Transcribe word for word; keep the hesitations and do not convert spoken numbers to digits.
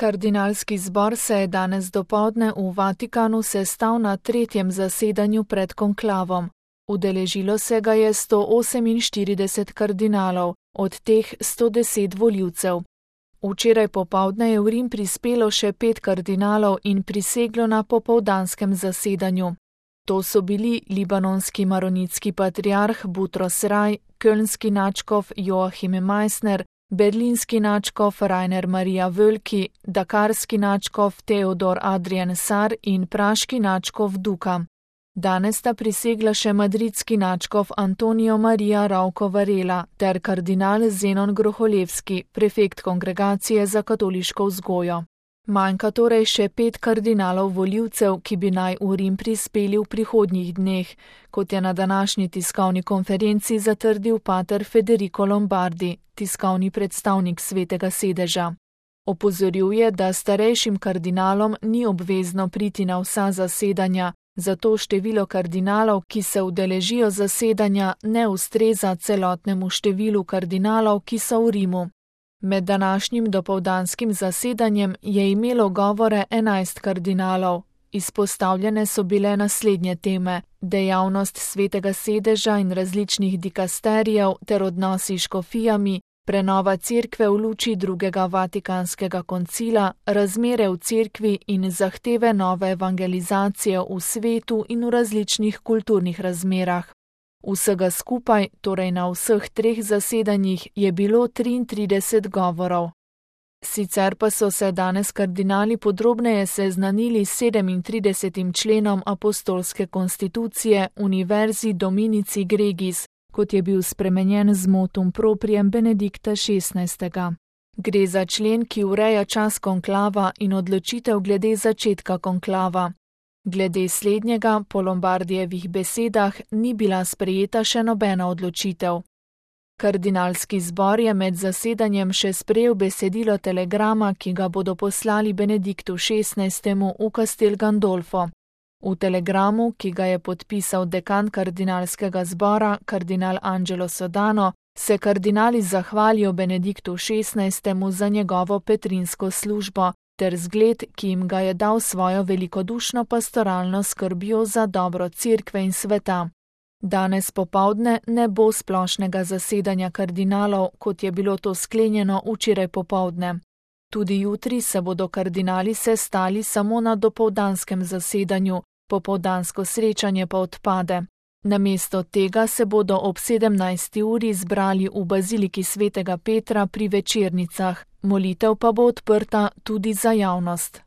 Kardinalski zbor se je danes dopoldne v Vatikanu sestal na tretjem zasedanju pred konklavom. Udeležilo se ga je sto oseminštirideset kardinalov, od teh sto deset volivcev. Včeraj popoldne je v Rim prispelo še pet kardinalov in priseglo na popoldanskem zasedanju. To so bili libanonski maronitski patriarh Butros Raj, kölnski nadškof Joachim Meissner, berlinski nadškof Rainer Maria Wölki, dakarski nadškof Theodor Adrian Sar in praški nadškof Duka. Danes sta prisegla še madridski nadškof Antonio Maria Rauco Varela ter kardinal Zenon Groholevski, prefekt Kongregacije za katoliško vzgojo. Manjka torej še pet kardinalov volivcev, ki bi naj v Rim prispeli v prihodnjih dneh, kot je na današnji tiskovni konferenci zatrdil pater Federico Lombardi, tiskovni predstavnik Svetega sedeža. Opozoril je, da starejšim kardinalom ni obvezno priti na vsa zasedanja, zato število kardinalov, ki se udeležijo zasedanja, ne ustreza celotnemu številu kardinalov, ki so v Rimu. Med današnjim dopoldanskim zasedanjem je imelo govore enajst kardinalov. Izpostavljene so bile naslednje teme: dejavnost Svetega sedeža in različnih dikasterijev ter odnosi s škofijami, prenova cerkve v luči drugega vatikanskega koncila, razmere v cerkvi in zahteve nove evangelizacije v svetu in v različnih kulturnih razmerah. Vsega skupaj, torej na vseh treh zasedanjih, je bilo triintrideset govorov. Sicer pa so se danes kardinali podrobneje seznanili s sedemintridesetim členom apostolske konstitucije Univerzi Dominici Gregis, kot je bil spremenjen z motum proprijem Benedikta šestnajstega. Gre za člen, ki ureja čas konklava in odločitev glede začetka konklava. Glede slednjega, po Lombardijevih besedah, ni bila sprejeta še nobena odločitev. Kardinalski zbor je med zasedanjem še sprejel besedilo telegrama, ki ga bodo poslali Benediktu šestnajstemu v Castel Gandolfo. V telegramu, ki ga je podpisal dekan kardinalskega zbora, kardinal Angelo Sodano, se kardinali zahvalijo Benediktu šestnajstemu za njegovo petrinsko službo ter zgled, ki jim ga je dal svojo velikodušno pastoralno skrbjo za dobro cerkve in sveta. Danes popoldne ne bo splošnega zasedanja kardinalov, kot je bilo to sklenjeno včeraj popoldne. Tudi jutri se bodo kardinali sestali samo na dopoldanskem zasedanju, popoldansko srečanje pa odpade. Namesto tega se bodo ob sedemnajsti uri zbrali v baziliki svetega Petra pri večernicah, molitev pa bo odprta tudi za javnost.